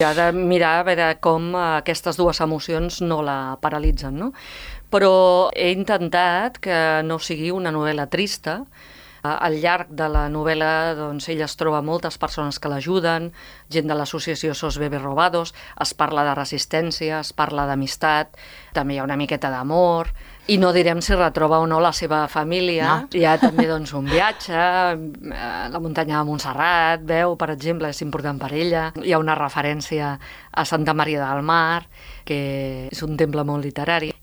Ha de mirar a veure com aquestes dues emocions no la paralitzen, no? Però he intentat que no sigui una novel·la trista. Al llarg de la novel·la doncs, ella es troba moltes persones que l'ajuden, gent de l'associació SOS Bebés Robados, es parla de resistència, es parla d'amistat, també hi ha una miqueta d'amor, i no direm si retroba o no la seva família. No. Hi ha també doncs, un viatge, la muntanya de Montserrat, veu, per exemple, és important per ella. Hi ha una referència a Santa Maria del Mar, que és un temple molt literari.